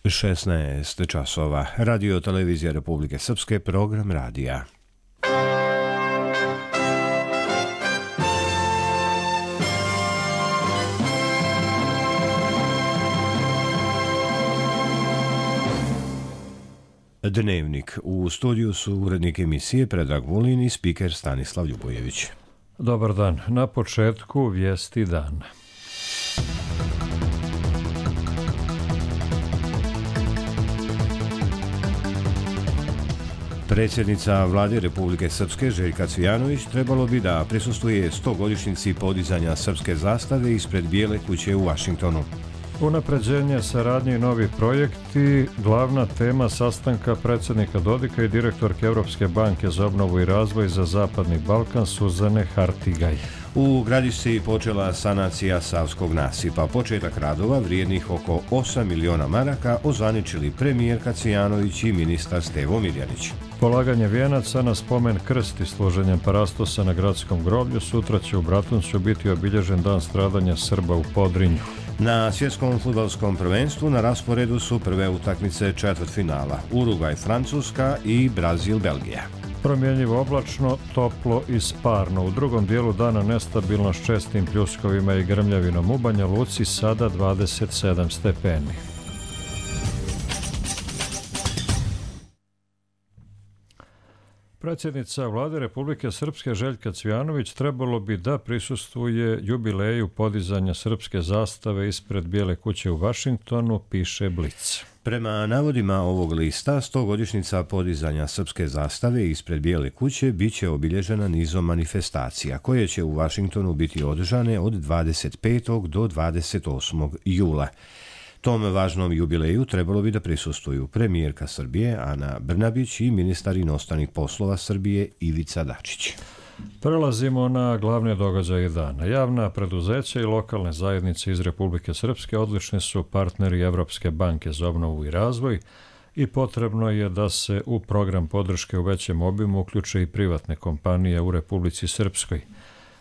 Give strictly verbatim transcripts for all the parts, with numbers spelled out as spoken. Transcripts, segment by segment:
šesnaest časova. Radio televizija Republike Srpske, program radija. Dnevnik. U studiju su urednik emisije Predrag Vulin i spiker Stanislav Ljubojević. Dobar dan. Na početku vijesti dana. Predsjednica Vlade Republike Srpske Željka Cvijanović trebalo bi da prisustvuje stogodišnjici podizanja srpske zastave ispred Bijele kuće u Vašingtonu. Unapređenje saradnje i novi projekti, glavna tema sastanka predsjednika Dodika i direktorke Europske banke za obnovu i razvoj za Zapadni Balkan Suzane Hartigaj. U Gradišci počela sanacija Savskog nasipa. Početak radova vrijednih oko osam miliona maraka ozvaničili premijerka Cvijanović i ministar Stevo Mirjanić. Polaganje vijenaca na spomen krst i složenjem parastosa na gradskom groblju sutra će u Bratuncu biti obilježen dan stradanja Srba u Podrinju. Na svjetskom fudbalskom prvenstvu na rasporedu su prve utakmice četvrtfinala Urugvaj Francuska i Brazil Belgija. Promjenjivo oblačno, toplo i sparno. U drugom dijelu dana nestabilno s čestim pljuskovima i grmljavinom u Banja Luci, sada dvadeset sedam stepeni. Predsjednica Vlade Republike Srpske Željka Cvijanović trebalo bi da prisustvuje jubileju podizanja srpske zastave ispred Bijele kuće u Vašingtonu, piše Blic. Prema navodima ovog lista, stogodišnjica podizanja srpske zastave ispred Bijele kuće bit će obilježena nizom manifestacija, koje će u Vašingtonu biti održane od dvadeset petog do dvadeset osmog jula. Tom važnom jubileju trebalo bi da prisustvuju premijerka Srbije Ana Brnabić i ministar inostranih poslova Srbije Ivica Dačić. Prelazimo na glavne događaje dana. Javna preduzeća i lokalne zajednice iz Republike Srpske odlični su partneri Evropske banke za obnovu i razvoj i potrebno je da se u program podrške u većem obimu uključe i privatne kompanije u Republici Srpskoj.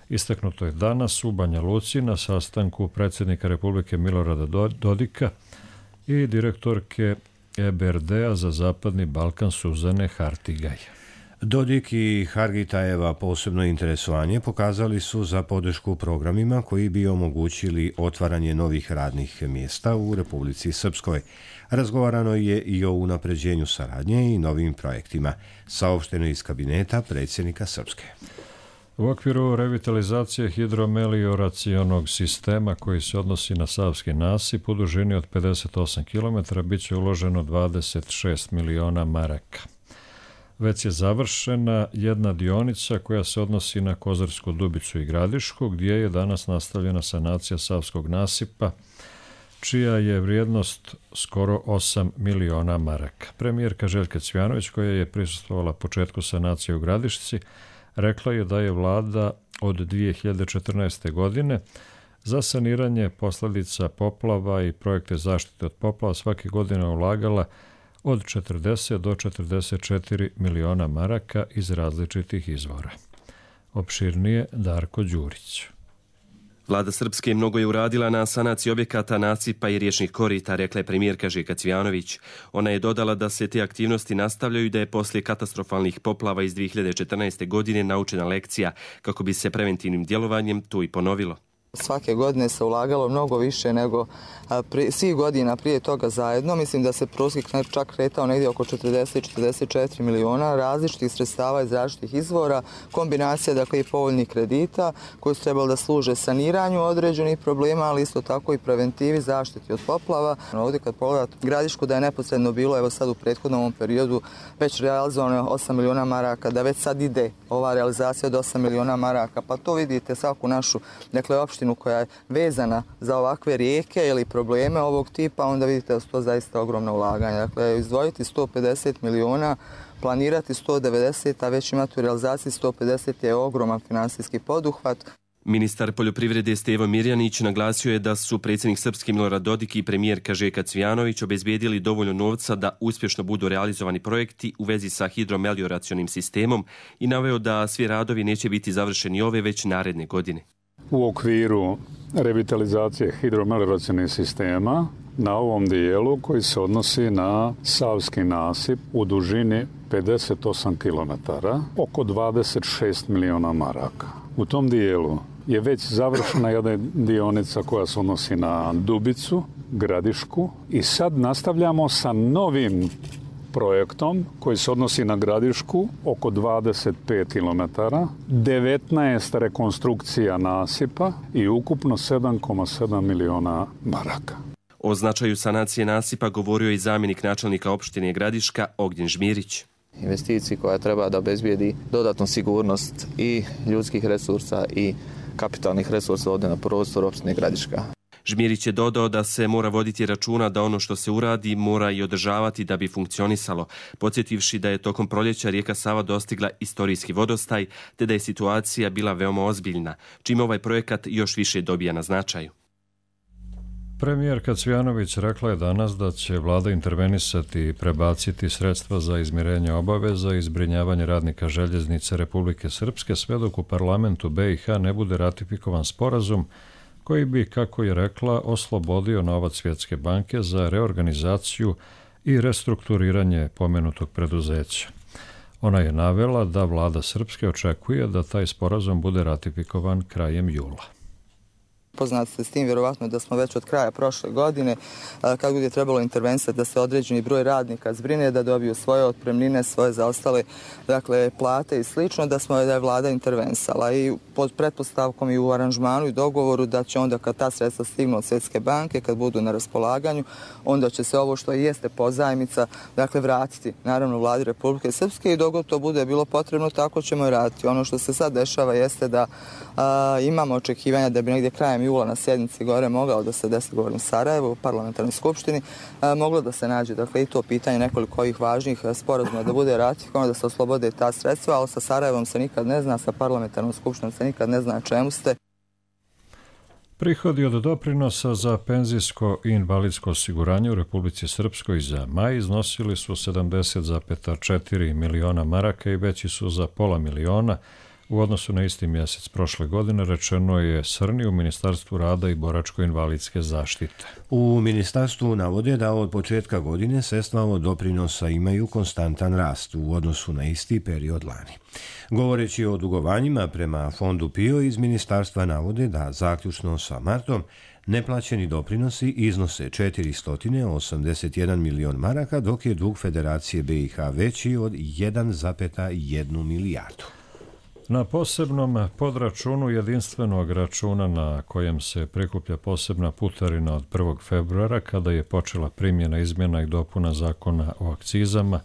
Istaknuto je danas u Banja Luci na sastanku predsjednika Republike Milorada Dodika i direktorke E B R D-a za Zapadni Balkan Suzane Hartigaj. Dodik i Hargitajeva posebno interesovanje pokazali su za podršku programima koji bi omogućili otvaranje novih radnih mjesta u Republici Srpskoj. Razgovarano je i o unapređenju saradnje i novim projektima, saopšteno iz kabineta predsjednika Srpske. U okviru revitalizacije hidromelioracionog sistema koji se odnosi na Savski nasip u dužini od pedeset osam kilometara bit će uloženo dvadeset šest miliona maraka. Već je završena jedna dionica koja se odnosi na Kozarsku Dubicu i Gradišku, gdje je danas nastavljena sanacija Savskog nasipa, čija je vrijednost skoro osam miliona maraka. Premijerka Željka Cvijanović, koja je prisustvovala početku sanacije u Gradišci, rekla je da je vlada od dvije hiljade četrnaeste. godine za saniranje posljedica poplava i projekte zaštite od poplava svake godine ulagala od četrdeset do četrdeset četiri miliona maraka iz različitih izvora. Opširnije Darko Đurić. Vlada Srpske mnogo je uradila na sanaciji objekata, nasipa i riječnih korita, rekla je premijerka Željka Cvijanović. Ona je dodala da se te aktivnosti nastavljaju i da je poslije katastrofalnih poplava iz dvije hiljade četrnaeste. godine naučena lekcija kako bi se preventivnim djelovanjem to i ponovilo. Svake godine se ulagalo mnogo više nego pri, svih godina prije toga zajedno. Mislim da se prosjek čak kretao negdje oko četrdeset do četrdeset četiri miliona različitih sredstava iz različitih izvora, kombinacija dakle i povoljnih kredita koji su trebali da služe saniranju određenih problema, ali isto tako i preventivi, zaštiti od poplava. Ovdje kad pogledate Gradišku da je neposredno bilo, evo sad u prethodnom periodu već realizovano osam miliona maraka, da već sad ide ova realizacija od osam miliona maraka, pa to vidite svaku našu, dakle opštinu koja je vezana za ovakve rijeke ili probleme ovog tipa, onda vidite da su to zaista ogromna ulaganja. Dakle, izdvojiti sto pedeset miliona, planirati sto devedeset, a već imati u realizaciji sto pedeset je ogroman finansijski poduhvat. Ministar poljoprivrede Stevo Mirjanić naglasio je da su predsjednik Srpske Milorad Dodik i premijerka Željka Cvijanović obezbijedili dovoljno novca da uspješno budu realizovani projekti u vezi sa hidromelioracionim sistemom i naveo da svi radovi neće biti završeni ove već naredne godine. U okviru revitalizacije hidromelioracionih sistema na ovom dijelu koji se odnosi na Savski nasip u dužini pedeset osam kilometara, oko dvadeset šest miliona maraka. U tom dijelu je već završena jedna dionica koja se odnosi na Dubicu, Gradišku i sad nastavljamo sa novim projektom koji se odnosi na Gradišku, oko dvadeset pet kilometara, devetnaest rekonstrukcija nasipa i ukupno sedam zarez sedam miliona maraka. O značaju sanacije nasipa govorio je i zamjenik načelnika opštine Gradiška Ognjen Žmirić. Investiciji koja treba da obezbijedi dodatnu sigurnost i ljudskih resursa i kapitalnih resursa ovdje na prostoru opštine Gradiška. Žmirić je dodao da se mora voditi računa da ono što se uradi mora i održavati da bi funkcionisalo, podsjetivši da je tokom proljeća rijeka Sava dostigla istorijski vodostaj, te da je situacija bila veoma ozbiljna, čime ovaj projekat još više dobija na značaju. Premijerka Cvijanović rekla je danas da će vlada intervenisati i prebaciti sredstva za izmirenje obaveza i zbrinjavanje radnika željeznice Republike Srpske sve dok u parlamentu B i H ne bude ratifikovan sporazum koji bi, kako je rekla, oslobodio novac Svjetske banke za reorganizaciju i restrukturiranje pomenutog preduzeća. Ona je navela da vlada Srpske očekuje da taj sporazum bude ratifikovan krajem jula. Poznati ste s tim, vjerovatno da smo već od kraja prošle godine, kako je trebalo intervenisati da se određeni broj radnika zbrine, da dobiju svoje otpremnine, svoje zaostale dakle, plate i slično, da smo da je vlada intervenisala i pod pretpostavkom i u aranžmanu i dogovoru da će onda kad ta sredstva stignu od Svjetske banke, kad budu na raspolaganju, onda će se ovo što i jeste pozajmica dakle, vratiti naravno vladi Republike Srpske i dok to bude bilo potrebno, tako ćemo i raditi. Ono što se sad dešava jeste da a, imamo očekivanja da bi negdje krajem jula na sjednici gore mogao da se desi, govorim Sarajevo, u parlamentarnoj skupštini, a, moglo da se nađe dakle, i to pitanje nekoliko ovih važnih sporazuma da bude ratifikovano, da se oslobode ta sredstva, ali sa Sarajevom se nikad ne zna, sa parlamentarnom skupštinom se nikad ne zna čemu ste. Prihodi od doprinosa za penzijsko i invalidsko osiguranje u Republici Srpskoj za maj iznosili su sedamdeset zarez četiri miliona maraka i veći su za pola miliona u odnosu na isti mjesec prošle godine, rečeno je Srni u Ministarstvu rada i boračko-invalidske zaštite. U ministarstvu navode da od početka godine sredstva od doprinosa imaju konstantan rast u odnosu na isti period lani. Govoreći o dugovanjima prema fondu PIO iz ministarstva navode da zaključno sa martom neplaćeni doprinosi iznose četiristo osamdeset jedan milion maraka, dok je dug Federacije B i H veći od jedan zarez jedan milijardu. Na posebnom podračunu jedinstvenog računa na kojem se prikuplja posebna putarina od prvog februara, kada je počela primjena izmjena i dopuna zakona o akcizama,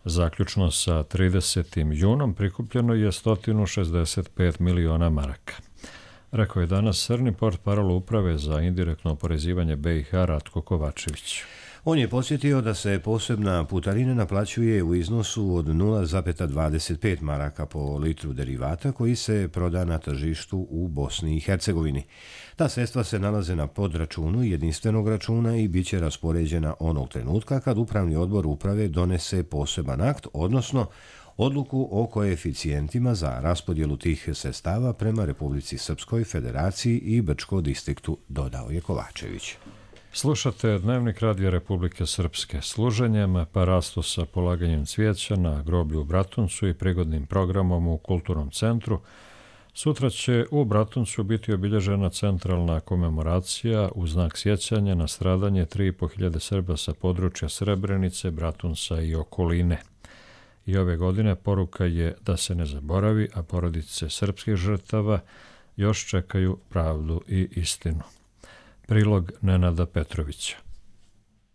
zaključno sa tridesetim junom prikupljeno je sto šezdeset pet miliona maraka. Rekao je danas Srni portparol uprave za indirektno oporezivanje B i H Ratko Kovačević. On je podsjetio da se posebna putarina naplaćuje u iznosu od nula zarez dvadeset pet maraka po litru derivata koji se proda na tržištu u Bosni i Hercegovini. Ta sredstva se nalaze na podračunu jedinstvenog računa i bit će raspoređena onog trenutka kad upravni odbor uprave donese poseban akt, odnosno odluku o koeficijentima za raspodjelu tih sredstava prema Republici Srpskoj, Federaciji i Brčko distriktu, dodao je Kovačević. Slušate Dnevnik Radija Republike Srpske. Služenjem parastosa polaganjem cvijeća na groblju u Bratuncu i prigodnim programom u Kulturnom centru sutra će u Bratuncu biti obilježena centralna komemoracija u znak sjećanja na stradanje tri i po hiljade Srba sa područja Srebrenice, Bratunca i okoline. I ove godine poruka je da se ne zaboravi, a porodice srpskih žrtava još čekaju pravdu i istinu. Prilog Nenada Petrovića.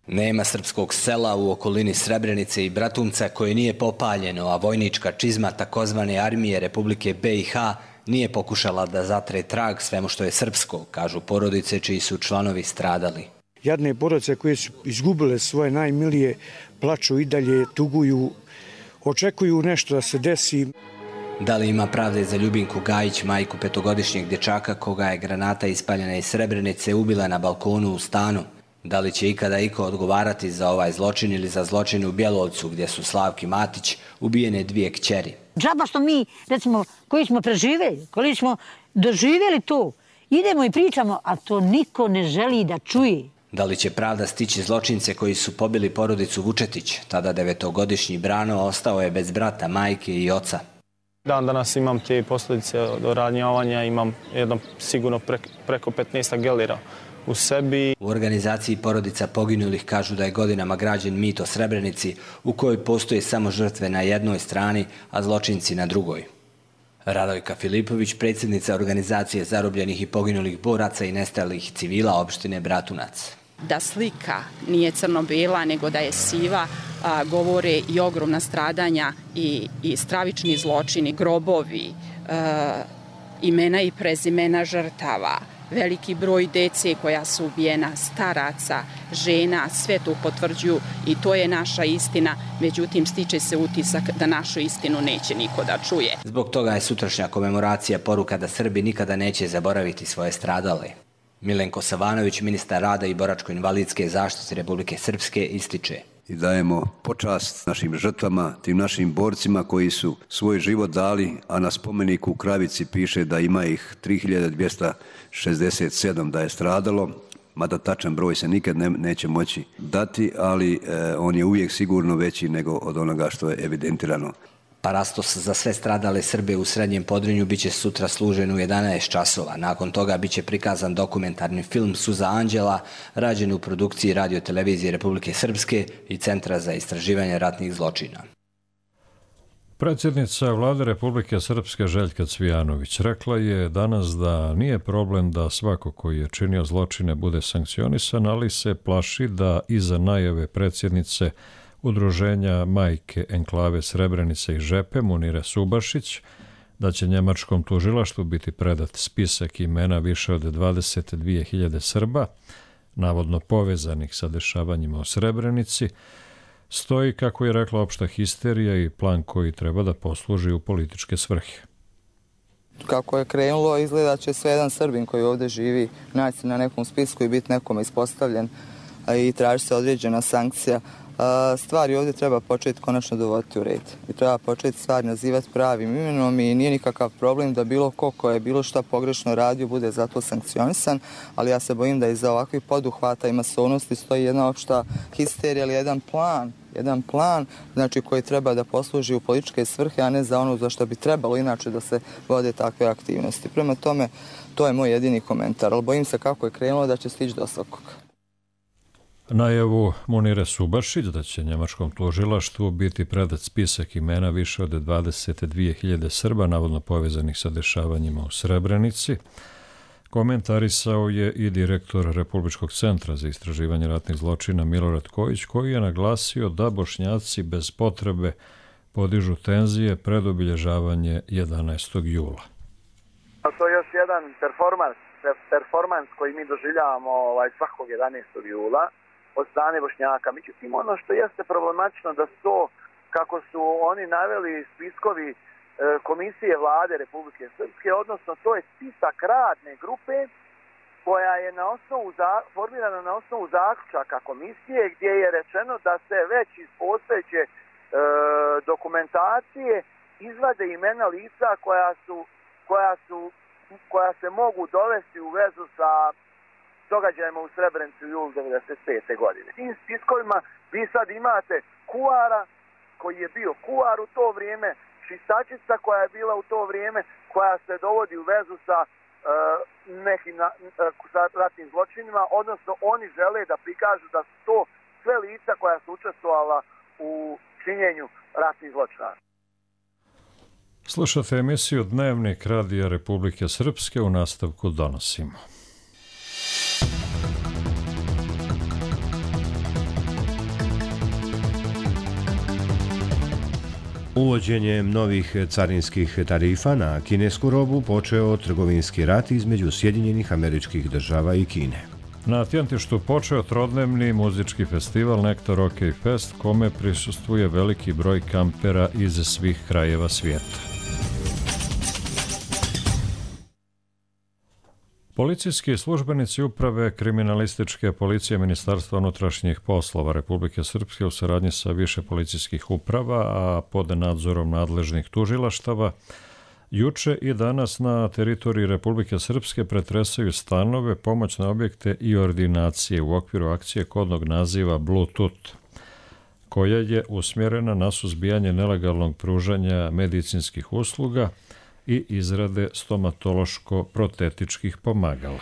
Nema srpskog sela u okolini Srebrenice i Bratunca koje nije popaljeno, a vojnička čizma takozvane armije Republike B i H nije pokušala da zatre trag svemu što je srpsko, kažu porodice čiji su članovi stradali. Jadne porodice koje su izgubile svoje najmilije plaču i dalje, tuguju, očekuju nešto da se desi. Da li ima pravde za Ljubinku Gajić, majku petogodišnjeg dječaka koga je granata ispaljena iz Srebrenice ubila na balkonu u stanu? Da li će ikada iko odgovarati za ovaj zločin ili za zločin u Bjelovcu gdje su Slavki Matić ubijene dvije kćeri? Džaba što mi, recimo, koji smo preživeli, koji smo doživjeli to, idemo i pričamo, a to niko ne želi da čuje. Da li će pravda stići zločince koji su pobili porodicu Vučetić? Tada devetogodišnji Brano ostao je bez brata, majke i oca. Dan danas imam te posljedice od ranjavanja, imam jedno sigurno preko petnaest gelira u sebi. U organizaciji porodica poginulih kažu da je godinama građen mit o Srebrenici u kojoj postoje samo žrtve na jednoj strani, a zločinci na drugoj. Radojka Filipović, predsjednica organizacije zarobljenih i poginulih boraca i nestalih civila opštine Bratunac. Da slika nije crno-bela, nego da je siva, a, govore i ogromna stradanja i, i stravični zločini, grobovi, a, imena i prezimena žrtava, veliki broj dece koja su ubijena, staraca, žena, sve to potvrđuju i to je naša istina. Međutim, stiče se utisak da našu istinu neće niko da čuje. Zbog toga je sutrašnja komemoracija poruka da Srbi nikada neće zaboraviti svoje stradale. Milenko Savanović, ministar rada i boračko-invalidske zaštite Republike Srpske, ističe. I dajemo počast našim žrtvama, tim našim borcima koji su svoj život dali, a na spomeniku u Kravici piše da ima ih tri hiljade dvjesto šezdeset sedam da je stradalo, mada tačan broj se nikad ne, neće moći dati, ali e, on je uvijek sigurno veći nego od onoga što je evidentirano. Parastos za sve stradale Srbe u Srednjem Podrinju biće sutra služen u jedanaest časova. Nakon toga biće prikazan dokumentarni film Suza anđela, rađen u produkciji Radio-televizije Republike Srpske i Centra za istraživanje ratnih zločina. Predsjednica Vlade Republike Srpske Željka Cvijanović rekla je danas da nije problem da svako koji je činio zločine bude sankcionisan, ali se plaši da iza najave predsjednice Udruženja majke enklave Srebrenice i Žepe Munire Subašić da će njemačkom tužilaštvu biti predat spisak imena više od dvadeset dvije hiljade Srba, navodno povezanih sa dešavanjima u Srebrenici, stoji, kako je rekla, opšta histerija i plan koji treba da posluži u političke svrhe. Kako je krenulo, izgleda će sve jedan Srbin koji ovdje živi naći na nekom spisku i biti nekome ispostavljen i traži se određena sankcija. Stvari ovdje treba početi konačno dovoditi u red i treba početi stvari nazivati pravim imenom i nije nikakav problem da bilo ko ko je bilo šta pogrešno radio bude zato sankcionisan, ali ja se bojim da iza ovakvih poduhvata i masovnosti stoji jedna opšta histerija ili jedan plan, jedan plan znači koji treba da posluži u političke svrhe, a ne za ono za što bi trebalo inače da se vode takve aktivnosti. Prema tome, to je moj jedini komentar, ali bojim se kako je krenulo da će stići do svakog. Najavu Munire Subašić da će njemačkom tužilaštvu biti predat spisak imena više od dvadeset dvije hiljade Srba, navodno povezanih sa dešavanjima u Srebrenici, komentarisao je i direktor Republičkog centra za istraživanje ratnih zločina Milorad Kojić, koji je naglasio da Bošnjaci bez potrebe podižu tenzije pred obilježavanje jedanaestog jula. To je još jedan performans, performans koji mi doživljavamo ovaj, svakog jedanaestog jula od strane Bošnjaka. Međutim, ono što jeste problematično da su to, kako su oni naveli spiskovi e, Komisije Vlade Republike Srpske, odnosno to je spisak radne grupe koja je na osnovu za, formirana na osnovu zaključaka komisije gdje je rečeno da se već iz postojeće e, dokumentacije izvade imena lica koja su, koja su koja se mogu dovesti u vezu sa događajima u Srebrenici u julu devedeset pete. godine. Tim spiskovima vi sad imate kuara koji je bio kuar u to vrijeme, čistačica koja je bila u to vrijeme, koja se dovodi u vezu sa uh, nekim na, uh, sa ratnim zločinima, odnosno oni žele da prikažu da su to sve lica koja su učestvovala u činjenju ratnih zločina. Slušate emisiju Dnevnik Radija Republike Srpske, u nastavku donosimo. Uvođenjem novih carinskih tarifa na kinesku robu počeo trgovinski rat između Sjedinjenih Američkih Država i Kine. Na Tjentištu počeo trodnevni muzički festival Nektar OK Fest, kome prisustvuje veliki broj kampera iz svih krajeva svijeta. Policijski službenici uprave kriminalističke policije Ministarstva unutrašnjih poslova Republike Srpske u saradnji sa više policijskih uprava, a pod nadzorom nadležnih tužilaštava, Juče i danas na teritoriji Republike Srpske pretresaju stanove, pomoćne objekte i ordinacije u okviru akcije kodnog naziva Bluetooth, koja je usmjerena na suzbijanje nelegalnog pružanja medicinskih usluga i izrade stomatološko-protetičkih pomagala.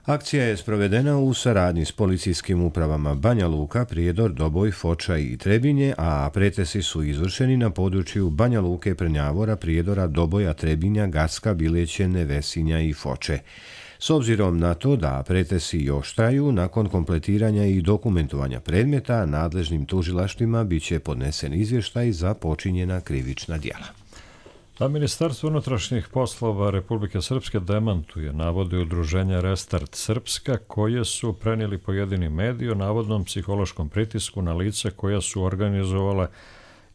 Akcija je sprovedena u saradnji s policijskim upravama Banja Luka, Prijedor, Doboj, Foča i Trebinje, a pretesi su izvršeni na području Banja Luke, Prnjavora, Prijedora, Doboja, Trebinja, Gacka, Bileće, Nevesinja i Foče. S obzirom na to da pretesi još traju, nakon kompletiranja i dokumentovanja predmeta, nadležnim tužilaštvima biće podnesen izvještaj za počinjena krivična djela. A Ministarstvo unutrašnjih poslova Republike Srpske demantuje navode udruženja Restart Srpska, koje su prenijeli pojedini mediji o navodnom psihološkom pritisku na lica koja su organizovala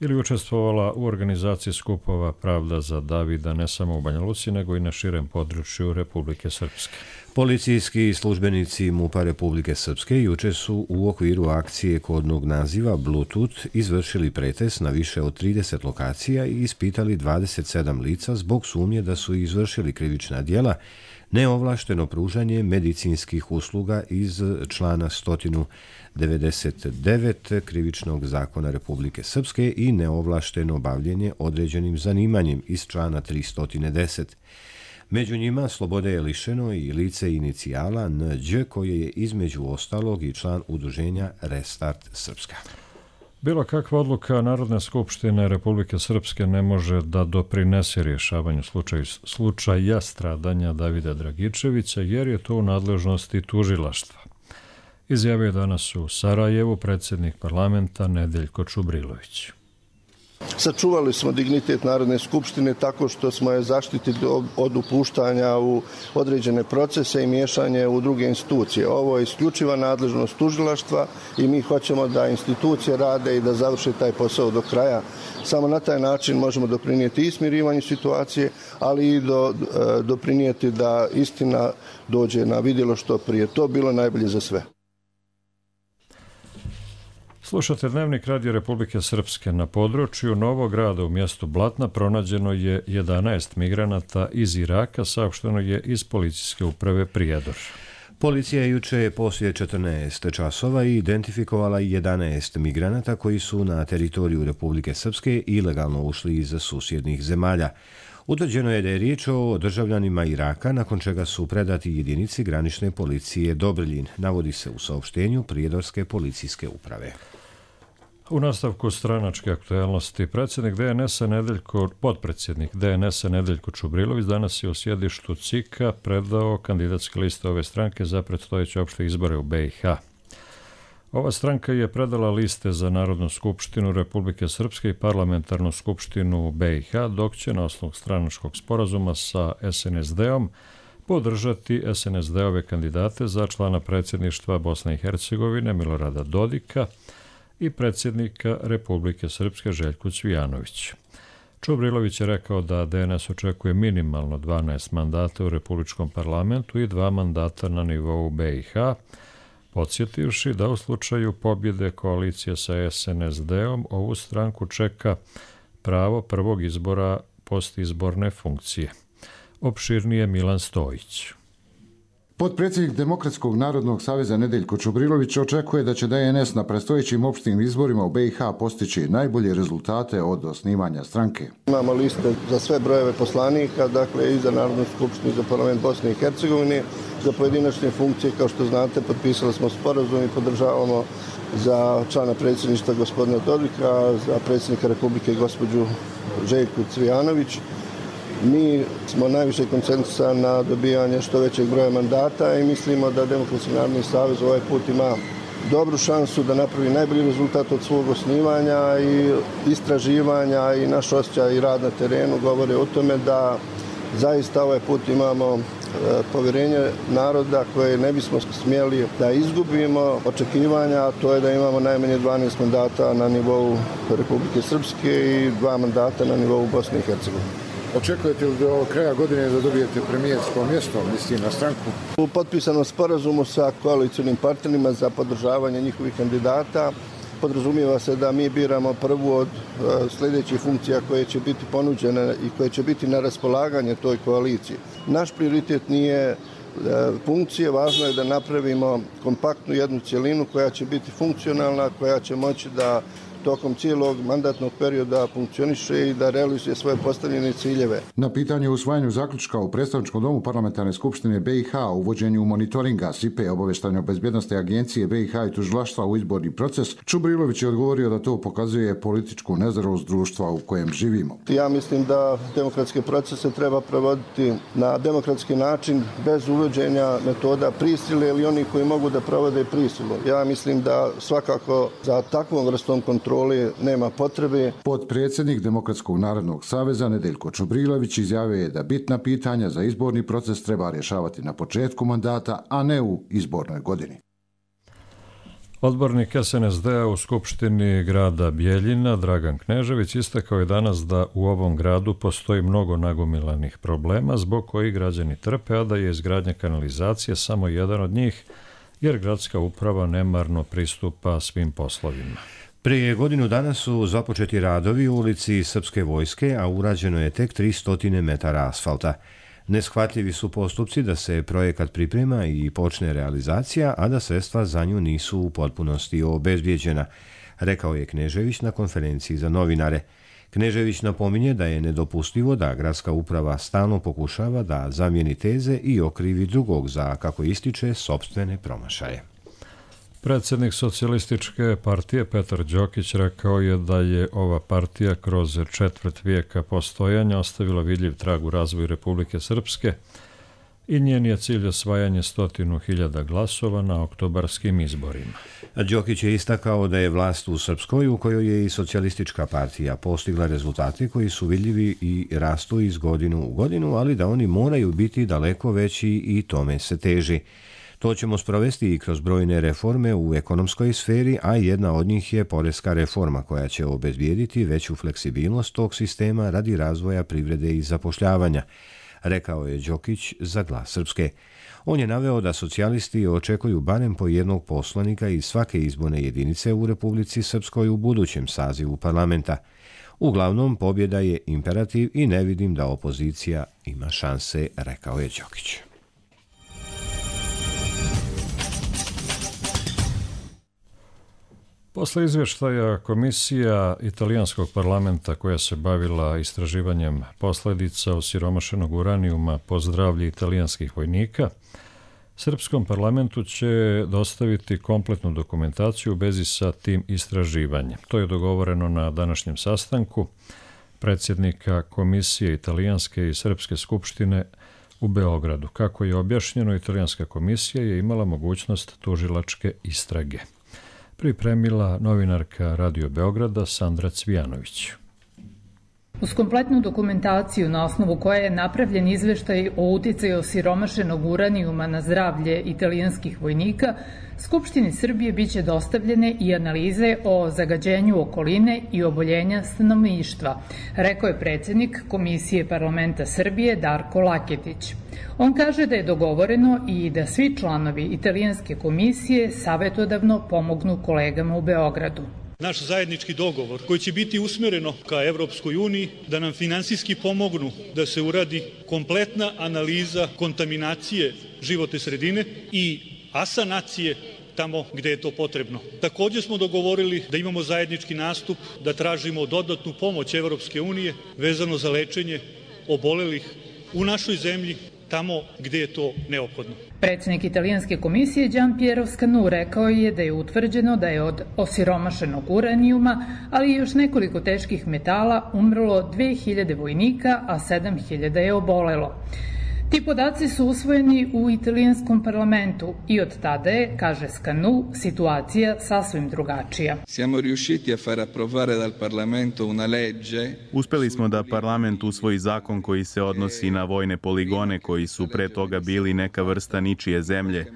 ili učestvovala u organizaciji skupova Pravda za Davida ne samo u Banja Luci, nego i na širem području Republike Srpske. Policijski službenici MUP-a Republike Srpske juče su u okviru akcije kodnog naziva Bluetooth izvršili pretres na više od trideset lokacija i ispitali dvadeset sedam lica zbog sumnje da su izvršili krivična djela, neovlašteno pružanje medicinskih usluga iz člana sto devedeset devet Krivičnog zakona Republike Srpske i neovlašteno bavljenje određenim zanimanjem iz člana tristo deset. Među njima slobode je lišeno i lice inicijala N Đ, koje je između ostalog i član udruženja Restart Srpska. Bilo kakva odluka Narodne skupštine Republike Srpske ne može da doprinese rješavanju slučaja, slučaja stradanja Davida Dragičevića, jer je to u nadležnosti tužilaštva. Izjavio je danas u Sarajevu predsjednik parlamenta Nedeljko Čubrilović. Sačuvali smo dignitet Narodne skupštine tako što smo je zaštitili od upuštanja u određene procese i miješanje u druge institucije. Ovo je isključiva nadležnost tužilaštva i mi hoćemo da institucije rade i da završe taj posao do kraja. Samo na taj način možemo doprinijeti i smirivanju situacije, ali i do, doprinijeti da istina dođe na vidjelo što prije. To bilo najbolje za sve. Slušate Dnevnik Radio Republike Srpske. Na području Novog Grada u mjestu Blatna pronađeno je jedanaest migranata iz Iraka, saopšteno je iz policijske uprave Prijedor. Policija je juče poslije četrnaest časova identifikovala jedanaest migranata koji su na teritoriju Republike Srpske ilegalno ušli iz susjednih zemalja. Utvrđeno je da je riječ o državljanima Iraka, nakon čega su predati jedinici granične policije Dobriljin, navodi se u saopštenju Prijedorske policijske uprave. U nastavku stranačke aktualnosti predsjednik D N S-a Nedeljko, potpredsjednik D N S-a Nedeljko Čubrilović danas je u sjedištu C I K-a predao kandidatske liste ove stranke za predstojeće opšte izbore u B i H. Ova stranka je predala liste za Narodnu skupštinu Republike Srpske i Parlamentarnu skupštinu B i H, dok će na osnovu stranačkog sporazuma sa S N S D-om podržati S N S D-ove kandidate za člana predsjedništva Bosne i Hercegovine Milorada Dodika i predsjednika Republike Srpske Željku Cvijanović. Čubrilović je rekao da D N S očekuje minimalno dvanaest mandata u Republičkom parlamentu i dva mandata na nivou B i H, podsjetivši da u slučaju pobjede koalicije sa S N S D-om ovu stranku čeka pravo prvog izbora postizborne funkcije. Opširnije Milan Stojić. Potpredsjednik Demokratskog narodnog saveza Nedeljko Čubrilović očekuje da će D N S na predstojećim opštim izborima u B i H postići najbolje rezultate od osnivanja stranke. Imamo liste za sve brojeve poslanika, dakle i za Narodnu skupštinu i za parlament Bosne i Hercegovine. Za pojedinačne funkcije, kao što znate, potpisali smo sporazum i podržavamo za člana predsjedništva gospodina Dodika, za predsjednika Republike gospođu Željku Cvijanović. Mi smo najviše koncentrisani na dobijanje što većeg broja mandata i mislimo da Demokratski narodni savez ovaj put ima dobru šansu da napravi najbolji rezultat od svog osnivanja i istraživanja i naš osjećaj i rad na terenu govore o tome da zaista ovaj put imamo povjerenje naroda koje ne bismo smjeli da izgubimo. Očekivanja, a to je da imamo najmanje dvanaest mandata na nivou Republike Srpske i dva mandata na nivou Bosne i Hercegovine. Očekujete li do kraja godine da dobijete premijersko mjesto, misli na stranku? U potpisanom sporazumu sa koalicionim partnerima za podržavanje njihovih kandidata podrazumijeva se da mi biramo prvu od sljedećih funkcija koje će biti ponuđene i koje će biti na raspolaganje toj koaliciji. Naš prioritet nije funkcije, važno je da napravimo kompaktnu jednu cjelinu koja će biti funkcionalna, koja će moći da tokom cijelog mandatnog perioda funkcioniše i da realizuje svoje postavljene ciljeve. Na pitanje o usvajanju zaključka u predstavničkom domu Parlamentarne skupštine B i H o uvođenju monitoringa S I P-a obavještajno-bezbjednosne agencije B i H i tužilaštva u izborni proces, Čubrilović je odgovorio da to pokazuje političku nezrelost društva u kojem živimo. Ja mislim da demokratske procese treba provoditi na demokratski način bez uvođenja metoda prisile ili oni koji mogu da provode prisilu. Ja mislim da svakako za takvom vrstom kontrole nema potrebe. Potpredsjednik Demokratskog narodnog saveza Nedeljko Čubrilović izjavio je da bitna pitanja za izborni proces treba rješavati na početku mandata, a ne u izbornoj godini. Odbornik S N S D-a u Skupštini grada Bijeljina, Dragan Knežević, istakao je danas da u ovom gradu postoji mnogo nagomilanih problema zbog kojih građani trpe, a da je izgradnja kanalizacije samo jedan od njih, jer gradska uprava nemarno pristupa svim poslovima. Prije godinu dana su započeti radovi u ulici Srpske vojske, a urađeno je tek tristo metara asfalta. Neshvatljivi su postupci da se projekat priprema i počne realizacija, a da sredstva za nju nisu u potpunosti obezbijeđena, rekao je Knežević na konferenciji za novinare. Knežević napominje da je nedopustivo da gradska uprava stalno pokušava da zamijeni teze i okrivi drugog za, kako ističe, sopstvene promašaje. Predsjednik socijalističke partije Petar Đokić rekao je da je ova partija kroz četvrt vijeka postojanja ostavila vidljiv trag u razvoju Republike Srpske i njen je cilj osvajanje stotinu hiljada glasova na oktobarskim izborima. Đokić je istakao da je vlast u Srpskoj, u kojoj je i socijalistička partija, postigla rezultate koji su vidljivi i rastu iz godinu u godinu, ali da oni moraju biti daleko veći i tome se teži. To ćemo sprovesti i kroz brojne reforme u ekonomskoj sferi, a jedna od njih je poreska reforma koja će obezbijediti veću fleksibilnost tog sistema radi razvoja privrede i zapošljavanja, rekao je Đokić za Glas Srpske. On je naveo da socijalisti očekuju barem po jednog poslanika iz svake izborne jedinice u Republici Srpskoj u budućem sazivu parlamenta. Uglavnom, pobjeda je imperativ i ne vidim da opozicija ima šanse, rekao je Đokić. Posle izvještaja Komisija italijanskog parlamenta koja se bavila istraživanjem posljedica osiromašenog uranijuma po zdravlje italijanskih vojnika, Srpskom parlamentu će dostaviti kompletnu dokumentaciju u vezi sa tim istraživanjem. To je dogovoreno na današnjem sastanku predsjednika Komisije italijanske i Srpske skupštine u Beogradu. Kako je objašnjeno, italijanska komisija je imala mogućnost tužilačke istrage. Pripremila novinarka Radio Beograda Sandra Cvijanović. Uz kompletnu dokumentaciju na osnovu koje je napravljen izveštaj o uticaju osiromašenog uranijuma na zdravlje italijanskih vojnika, Skupštini Srbije biće dostavljene i analize o zagađenju okoline i oboljenja stanovništva, rekao je predsjednik Komisije parlamenta Srbije Darko Laketić. On kaže da je dogovoreno i da svi članovi italijanske komisije savjetodavno pomognu kolegama u Beogradu. Naš zajednički dogovor koji će biti usmjereno ka Evropskoj uniji da nam finansijski pomognu da se uradi kompletna analiza kontaminacije životne sredine i asanacije tamo gdje je to potrebno. Također smo dogovorili da imamo zajednički nastup, da tražimo dodatnu pomoć Evropske unije vezano za lečenje obolelih u našoj zemlji tamo gdje je to neophodno. Predsjednik italijanske komisije Gian Piero Scanu rekao je da je utvrđeno da je od osiromašenog uranijuma, ali i još nekoliko teških metala umrlo dve hiljade vojnika, a sedam hiljada je obolelo. Ti podaci su usvojeni u italijanskom parlamentu i od tada je, kaže Scanu, situacija sasvim drugačija. Siamo riusciti a far approvare dal Parlamento una legge. Uspeli smo da parlament usvoji zakon koji se odnosi na vojne poligone koji su pre toga bili neka vrsta ničije zemlje.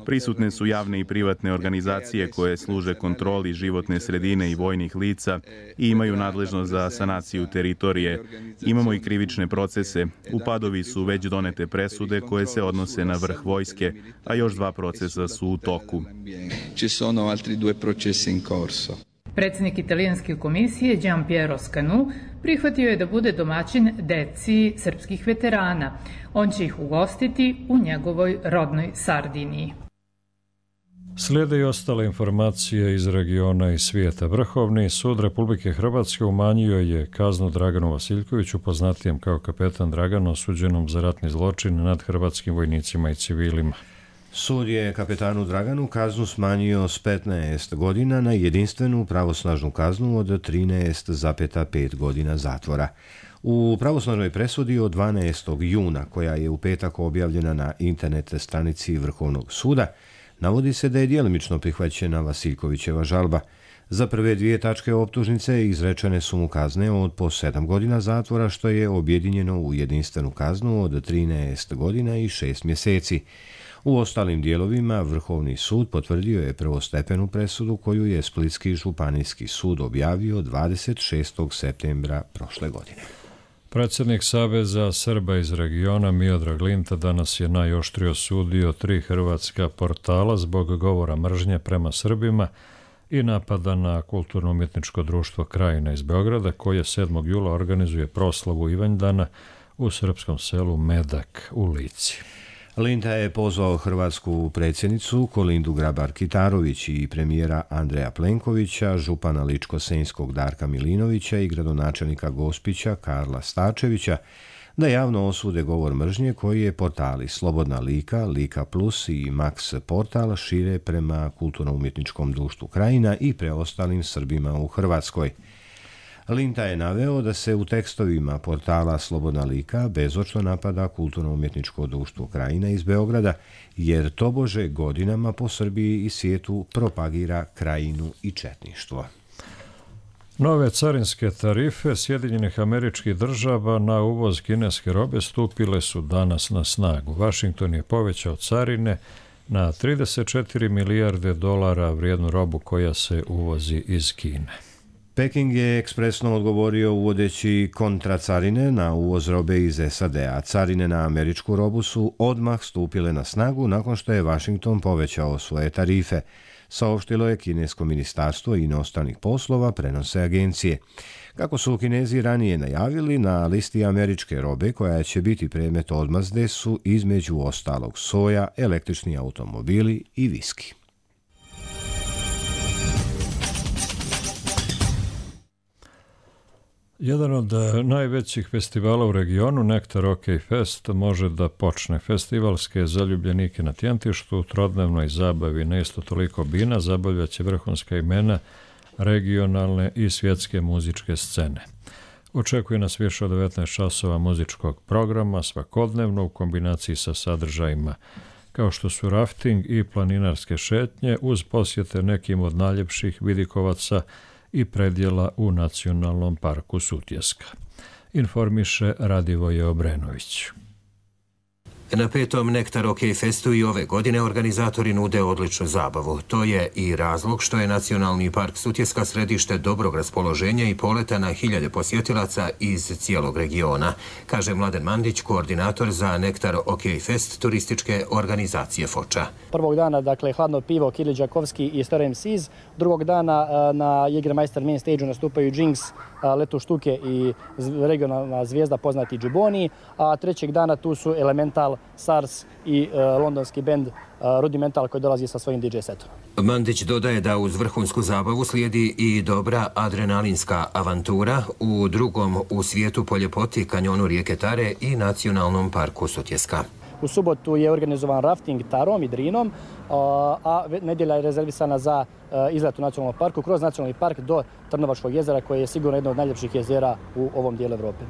Prisutne su javne i privatne organizacije koje služe kontroli životne sredine i vojnih lica i imaju nadležnost za sanaciju teritorije. Imamo i krivične procese. Upadovi su već doneli donete presude koje se odnose na vrh vojske, a još dva procesa su u toku. Ci sono altri due processi in corso. Predsjednik italijanske komisije Gian Piero Scanu prihvatio je da bude domaćin deci srpskih veterana. On će ih ugostiti u njegovoj rodnoj Sardiniji. Slijede i ostale informacije iz regiona i svijeta. Vrhovni sud Republike Hrvatske umanjio je kaznu Draganu Vasiljkoviću, poznatijem kao kapetan Dragan, osuđenom za ratni zločin nad hrvatskim vojnicima i civilima. Sud je kapetanu Draganu kaznu smanjio s petnaest godina na jedinstvenu pravosnažnu kaznu od trinaest zarez pet godina zatvora. U pravosnažnoj presudi od dvanaestog juna, koja je u petak objavljena na internet stranici Vrhovnog suda, navodi se da je djelimično prihvaćena Vasiljkovićeva žalba. Za prve dvije tačke optužnice izrečene su mu kazne od po sedam godina zatvora, što je objedinjeno u jedinstvenu kaznu od trinaest godina i šest mjeseci. U ostalim dijelovima Vrhovni sud potvrdio je prvostepenu presudu koju je Splitski županijski sud objavio dvadeset šestog septembra prošle godine. Predsjednik Saveza Srba iz regiona Miodrag Linta danas je najoštrije osudio tri hrvatska portala zbog govora mržnje prema Srbima i napada na kulturno-umjetničko društvo Krajina iz Beograda, koje sedmog jula organizuje proslavu Ivanjdana u srpskom selu Medak u Lici. Linta je pozvao hrvatsku predsjednicu Kolindu Grabar-Kitarović i premijera Andreja Plenkovića, župana Ličko-senjskog Darka Milinovića i gradonačelnika Gospića Karla Starčevića da javno osude govor mržnje koji je portali Slobodna Lika, Lika Plus i Max Portal šire prema kulturno-umjetničkom društvu Krajina i preostalim Srbima u Hrvatskoj. Linta je naveo da se u tekstovima portala Slobodna Lika bezočno napada kulturno-umjetničko društvo Krajina iz Beograda, jer tobože godinama po Srbiji i svijetu propagira Krajinu i četništvo. Nove carinske tarife Sjedinjenih Američkih Država na uvoz kineske robe stupile su danas na snagu. Washington je povećao carine na trideset četiri milijarde dolara vrijednu robu koja se uvozi iz Kine. Peking je ekspresno odgovorio uvodeći kontracarine na uvoz robe iz S A D-a. Carine na američku robu su odmah stupile na snagu nakon što je Washington povećao svoje tarife, saopštilo je kinesko ministarstvo inostranih poslova, prenose agencije. Kako su Kinezi ranije najavili, na listi američke robe koja će biti predmet odmazde su između ostalog soja, električni automobili i viski. Jedan od najvećih festivala u regionu, Nektar OK Fest, može da počne. Festivalske zaljubljenike na Tjentištu u trodnevnoj zabavi na isto toliko bina zabavljaće vrhunska imena regionalne i svjetske muzičke scene. Očekuje nas više od devetnaest časova muzičkog programa svakodnevno u kombinaciji sa sadržajima kao što su rafting i planinarske šetnje uz posjete nekim od najljepših vidikovaca i predjela u Nacionalnom parku Sutjeska. Informiše Radivoje Obrenović. Na petom Nektar OK Festu i ove godine organizatori nude odličnu zabavu. To je i razlog što je Nacionalni park Sutjeska središte dobrog raspoloženja i poleta na hiljade posjetilaca iz cijelog regiona, kaže Mladen Mandić, koordinator za Nektar OK Fest turističke organizacije Foča. Prvog dana, dakle, hladno pivo Kiril Đakovski i Star em si's. Drugog dana na Jägermeister main stage-u nastupaju Jinx, Letu Štuke i regionalna zvijezda poznati Džiboni, a trećeg dana tu su Elemental, SARS i uh, londonski bend uh, Rudimental koji dolazi sa svojim D J setom. Mandić dodaje da uz vrhunsku zabavu slijedi i dobra adrenalinska avantura u drugom u svijetu po ljepoti kanjonu rijeke Tare i Nacionalnom parku Sutjeska. U subotu je organizovan rafting Tarom i Drinom, a nedjelja je rezervisana za izlet u nacionalnom parku kroz nacionalni park do Trnovačkog jezera, koje je sigurno jedno od najljepših jezera u ovom dijelu Evrope.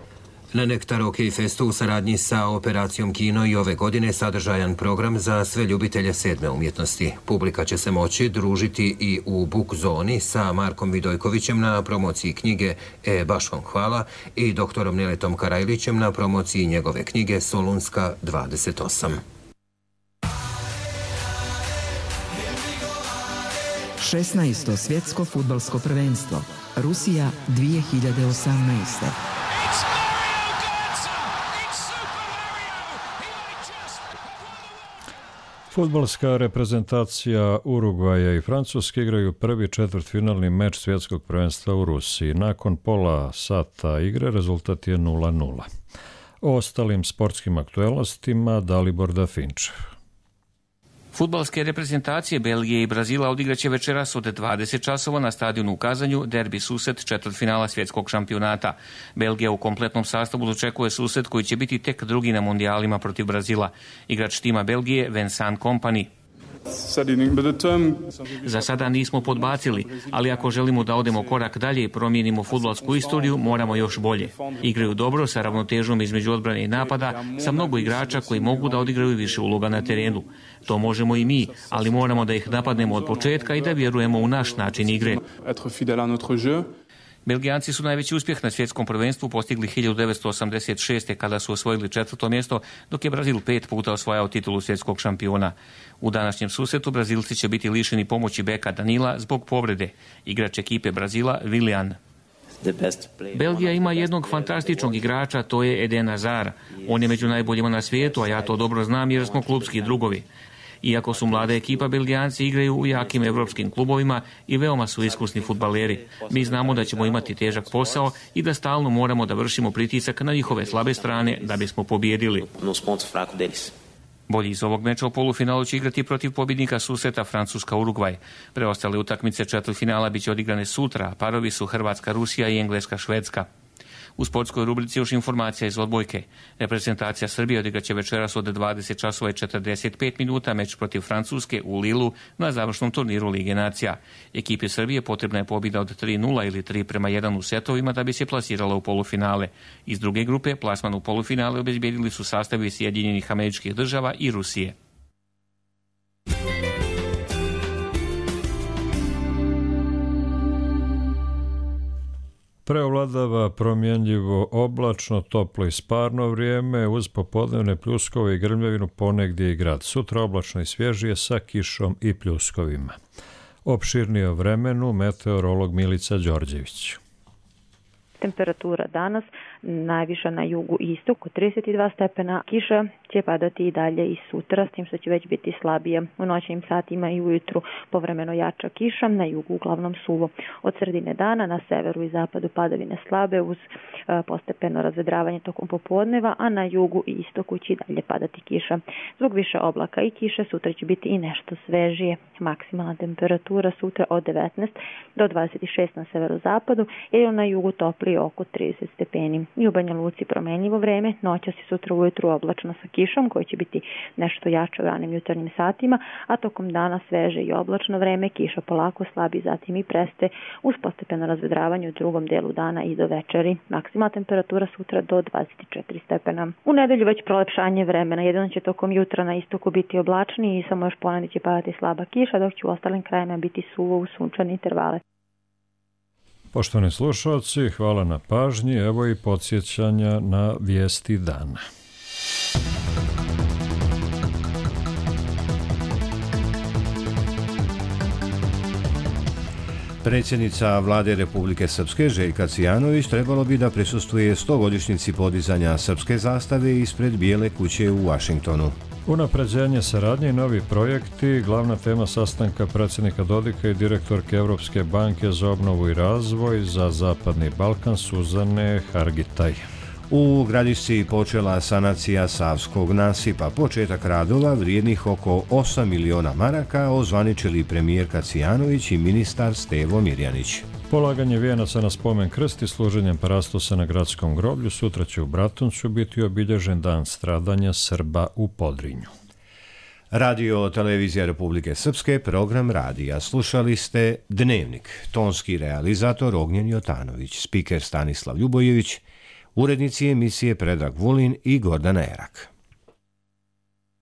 Na Nektar OK Festu u saradnji sa Operacijom Kino i ove godine sadržajan program za sve ljubitelje sedme umjetnosti. Publika će se moći družiti i u Book zoni sa Markom Vidojkovićem na promociji knjige E, baš vam hvala i doktorom Neletom Karajlićem na promociji njegove knjige Solunska dvadeset osam. šesnaesto svjetsko fudbalsko prvenstvo. Rusija dvije hiljade osamnaeste. Fudbalska reprezentacija Urugvaja i Francuske igraju prvi četvrtfinalni meč svjetskog prvenstva u Rusiji. Nakon pola sata igre rezultat je nula nula. O ostalim sportskim aktualnostima Dalibor Dafinčev. Fudbalske reprezentacije Belgije i Brazila odigraće večeras od dvadeset časova na stadionu u Kazanju derbi susret četvrtfinala svjetskog šampionata. Belgija u kompletnom sastavu dočekuje susret koji će biti tek drugi na mondijalima protiv Brazila. Igrač tima Belgije Vincent Kompany. Za sada nismo podbacili, ali ako želimo da odemo korak dalje i promijenimo fudbalsku istoriju, moramo još bolje. Igraju dobro sa ravnotežom između odbrane i napada, sa mnogo igrača koji mogu da odigraju više uloga na terenu. To možemo i mi, ali moramo da ih napadnemo od početka i da vjerujemo u naš način igre. Belgijanci su najveći uspjeh na svjetskom prvenstvu postigli hiljadu devetsto osamdeset šeste. kada su osvojili četvrto mjesto, dok je Brazil pet puta osvajao titulu svjetskog šampiona. U današnjem susretu Brazilci će biti lišeni pomoći beka Danila zbog povrede. Igrač ekipe Brazila Willian. Belgija ima jednog fantastičnog igrača, to je Eden Hazard. On je među najboljima na svijetu, a ja to dobro znam jer smo klubski drugovi. Iako su mlada ekipa, Belgijanci igraju u jakim evropskim klubovima i veoma su iskusni fudbaleri. Mi znamo da ćemo imati težak posao i da stalno moramo da vršimo pritisak na njihove slabe strane da bismo pobijedili. Bolji iz ovog meča u polufinalu će igrati protiv pobjednika susreta Francuska-Urugvaj. Preostale utakmice četvrtfinala biće odigrane sutra, a parovi su Hrvatska-Rusija i Engleska-Švedska. U sportskoj rubrici još informacija iz odbojke. Reprezentacija Srbije odigraće večeras od dvadeset časova i četrdeset pet minuta meč protiv Francuske u Lilu na završnom turniru Lige nacija. Ekipi Srbije potrebna je pobjeda od tri nula ili tri prema jedan u setovima da bi se plasirala u polufinale. Iz druge grupe plasman u polufinale obezbijedili su sastavi Sjedinjenih Američkih Država i Rusije. Preovladava promjenljivo oblačno, toplo i sparno vrijeme uz popodnevne pljuskove i grmljavinu ponegdje i grad. Sutra oblačno i svježije sa kišom i pljuskovima. Opširnije o vremenu meteorolog Milica Đorđević. Temperatura danas najviša na jugu i istoku trideset dva stepena, kiša će padati i dalje i sutra, s tim što će već biti slabije. U noćnim satima i ujutru povremeno jača kiša, na jugu uglavnom suvo. Od sredine dana na severu i zapadu padavine slabe uz e, postepeno razvedravanje tokom popodneva, a na jugu i istoku će i dalje padati kiša. Zbog više oblaka i kiše sutra će biti i nešto svežije. Maksimalna temperatura sutra od devetnaest do dvadeset šest na severozapadu, jer na jugu topli oko trideset stepeni. I u Banja Luci promenljivo vreme, noćas i sutra ujutru oblačno sa kišom koja će biti nešto jače u ranim jutarnjim satima, a tokom dana sveže i oblačno vreme, kiša polako slabi, zatim i preste uz postepeno razvedravanje u drugom delu dana i do večeri. Maksimalna temperatura sutra do dvadeset četiri stepena. U nedelju već prolepšanje vremena, jedino će tokom jutra na istoku biti oblačni i samo još ponedjeljak će padati slaba kiša, dok će u ostalim krajima biti suvo u sunčane intervale. Poštovani slušalci, hvala na pažnji, evo i podsjećanja na vijesti dana. Predsjednica vlade Republike Srpske Željka Cijanović trebalo bi da prisustvuje stogodišnjici podizanja srpske zastave ispred Bijele kuće u Vašingtonu. Unapređenje saradnje i novi projekti, glavna tema sastanka predsjednika Dodika i direktorke Evropske banke za obnovu i razvoj za Zapadni Balkan Suzane Hargitaj. U Gradišci počela sanacija Savskog nasipa. Početak radova vrijednih oko osam miliona maraka ozvaničili premijerka Cijanović i ministar Stevo Mirjanić. Polaganje vijenaca na spomen krst i služenjem parastosa na gradskom groblju sutra će u Bratuncu biti obilježen dan stradanja Srba u Podrinju. Radio Televizija Republike Srpske, program radija. Slušali ste Dnevnik, tonski realizator Ognjen Jotanović, spiker Stanislav Ljubojević, urednici emisije Predrag Vulin i Gordana Erak.